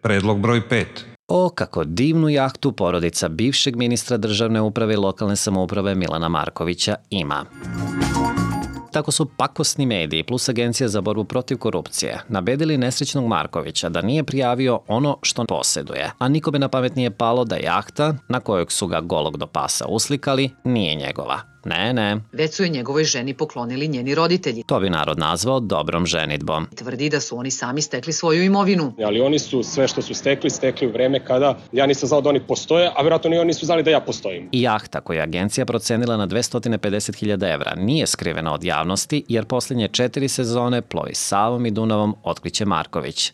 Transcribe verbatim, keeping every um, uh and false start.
Predlog broj pet. O, kako divnu jahtu porodica bivšeg ministra državne uprave i lokalne samouprave Milana Markovića ima. Tako su pakosni mediji plus Agencija za borbu protiv korupcije nabedili nesrećnog Markovića da nije prijavio ono što poseduje, a nikome na pamet nije palo da jahta, na kojeg su ga golog do pasa uslikali, nije njegova. Ne, ne. Već su je njegovoj ženi poklonili njeni roditelji. To bi narod nazvao dobrom ženidbom. Tvrdi da su oni sami stekli svoju imovinu. Ali oni su sve što su stekli, stekli u vreme kada ja nisam znao da oni postoje, a vjerojatno ni oni nisu znali da ja postojim. I jahta koju je agencija procenila na dvesta pedeset hiljada evra nije skrivena od javnosti jer posljednje četiri sezone plovi Savom i Dunavom otkriće Marković.